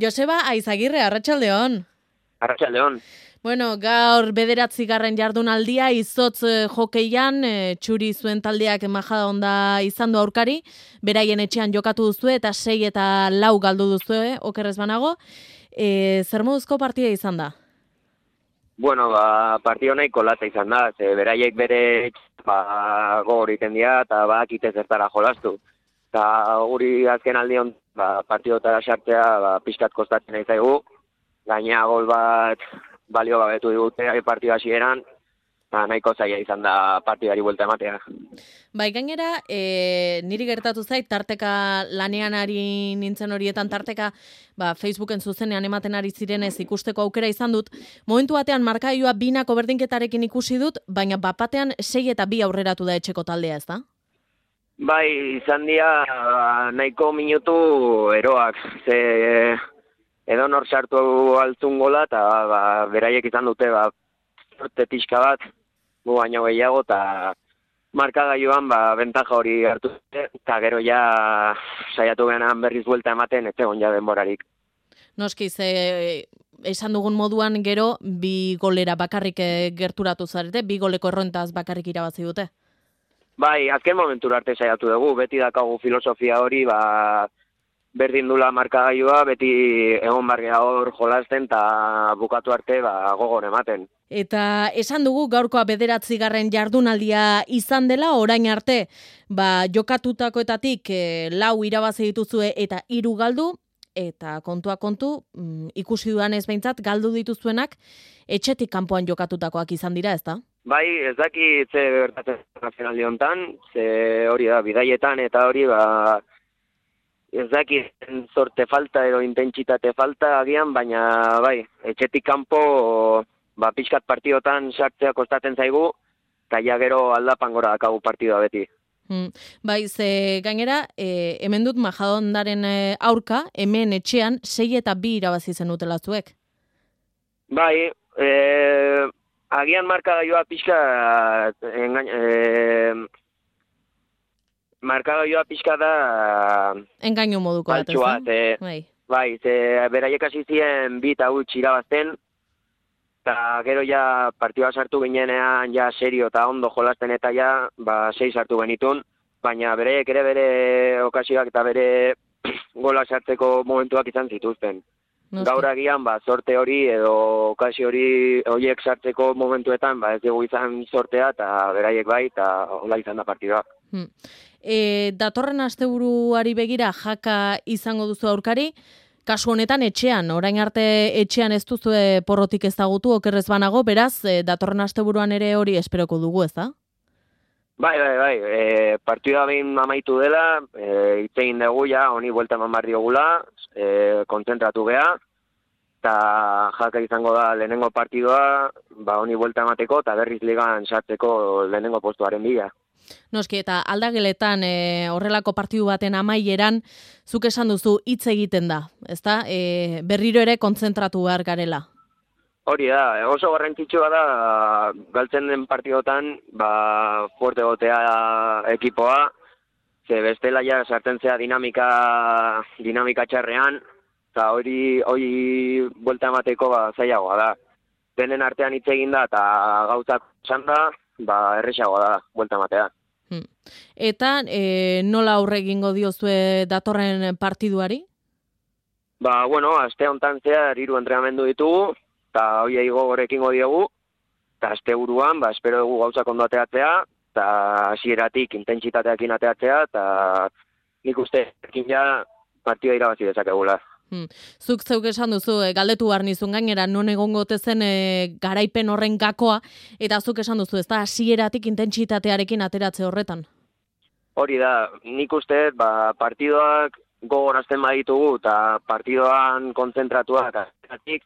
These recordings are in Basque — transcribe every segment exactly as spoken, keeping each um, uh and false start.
Joseba Aizagirre, arratsaldeon. Arratsaldeon. Bueno, gaur bederatzigarren jardunaldia izotz eh, jokeian, eh, txuri zuen taldeak majada onda izan du aurkari, beraien etxean jokatu duzue eta sei eta lau galdu duzue, okerrez banago. E, zer moduzko partida izan da? Bueno, ba, partio nahiko latza izan da, ze beraiek bere ba, gogor iten dira eta badakite zertara jolastu. Eta guri azken aldion ba, partiotara sartzea ba, pixkat kostatzen nahi zaigu, gaina gol bat balio gabetu digute partida hasieran, eta nahiko zaila izan da partidari buelta ematea. Bai, gainera, e, niri gertatu zait, tarteka lanean ari nintzen horietan, tarteka ba, Facebooken zuzenean ematen ari zirenez ikusteko aukera izan dut. Momentu batean markaioa binako berdinketarekin ikusi dut, baina bapatean sei eta bi aurreratu da etxeko taldea, ez da? Bai, izan dira nahiko minutu eroak, ze edo nor sartu altzun gola, eta ba, beraiek izan dute ba, sorte pixka bat, gu baino gehiago, eta markagailuan ba, bentaja hori hartu dute, eta gero ja saiatu genan berriz buelta ematen, ez egon ja denborarik. Noski, ze esan dugun moduan gero bi golera bakarrik gerturatu zarete, bi goleko errontaz bakarrik irabazi dute. Bai, azken momentura arte saiatu dugu, beti dakagu filosofia hori, ba, berdin dula markagailua, beti egon bargea hor jolasten eta bukatu arte ba, gogor ematen. Eta esan dugu gaurkoa bederatzigarren jardunaldia izan dela, orain arte ba, jokatutakoetatik e, lau irabazi dituzue eta hiru galdu, eta kontua kontu, mm, ikusi dudan ez behintzat, galdu dituzuenak etxetik kanpoan jokatutakoak izan dira, ez da? Bai, ez daki ze gertatzen nazionaldi hontan, ze hori da, bidaietan eta hori ba, ez daki zorte falta edo intentsitate falta agian, baina bai, etxetik kanpo ba, pixkat partidotan sartzea kostatzen zaigu, eta ja gero aldapan gora dakagu partidua beti. Hmm. Bai, ze gainera, e, hemen dut Majadahondaren e, aurka, hemen etxean sei eta bi irabazi zenutela zuek. Bai, e, agian markagailua pixka engain, e, markagailua pixka da engainu moduko bat, ez da? Bai. Bai, ze beraiek hasi ziren bi eta huts irabazten, eta gero ja partidua sartu ginenean ja serio eta ondo jolasten eta ja ba, sei sartu genitun, baina beraiek ere bere okasioak eta bere gola sartzeko momentuak izan zituzten. Noski. Gaur agian ba, sorte hori edo okasio hori horiek sartzeko momentuetan ba, ez dugu izan sortea eta beraiek bai eta hola izan da partidua. Hmm. E, datorren asteburuari begira jaka izango duzu aurkari, kasu honetan etxean, orain arte etxean ez duzu porrotik ezagutu okerrez banago, beraz, e, datorren asteburuan ere hori esperoko dugu, ez da? Bai, bai, bai, e, partida behin amaitu dela, e, itzein dugu ja, honi buelta eman behar diogula, e, kontzentratu geha, eta jaka izango da lehenengo partidua, ba, honi buelta emateko, eta berriz ligan sartzeko lehenengo postuaren bila. Noski, eta aldageletan e, horrelako partidu baten amaieran, zuk esan duzu hitz egiten da, ezta? E, berriro ere kontzentratu behar garela. Hori da, oso garrantzitsua da, galtzen den partidotan, ba, fuerte gotea ekipoa, ze bestela ja sartzen zea dinamika, dinamika txarrean, eta hori, hori buelta emateko ba, zailagoa da. Denen artean hitz egin da, eta gauzak esan da, ba, erresagoa da, buelta ematea. Hmm. Eta e, nola aurre egingo diozue datorren partiduari? Ba, bueno, aste hontan zehar hiru entrenamendu ditugu, eta horiei gogor ekingo diogu, eta aste buruan, ba, espero dugu gauzak ondo ateatzea, eta hasieratik intentsitateakin ateatzea, eta nik uste ekin ja partida irabazi dezakegula. Hmm. Zuk zeuk esan duzu, e, galdetu behar nizun gainera, non egongo zen e, garaipen horren gakoa, eta zuk esan duzu, ez da, hasieratik intentsitatearekin ateratze horretan? Hori da, nik uste, ba, partidoak gogorazten baditugu, eta partidoan kontzentratuak ateratik,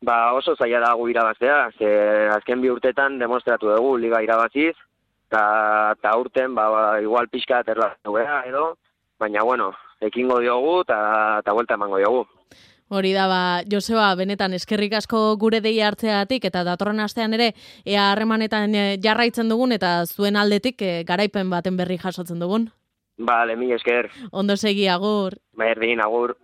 ba, oso zaila da gu irabaztea, ze azken bi urtetan demostratu dugu liga irabaziz, eta urten, ba, ba, igual pixka aterlatu beha edo, baina, bueno, ekingo diogu eta buelta emango diogu. Hori da, ba, Joseba, benetan eskerrik asko gure deia hartzeagatik eta datorren astean ere ea harremanetan jarraitzen dugun eta zuen aldetik e, garaipen baten berri jasotzen dugun. Bale, mila esker. Ondo segi, agur. Berdin, agur.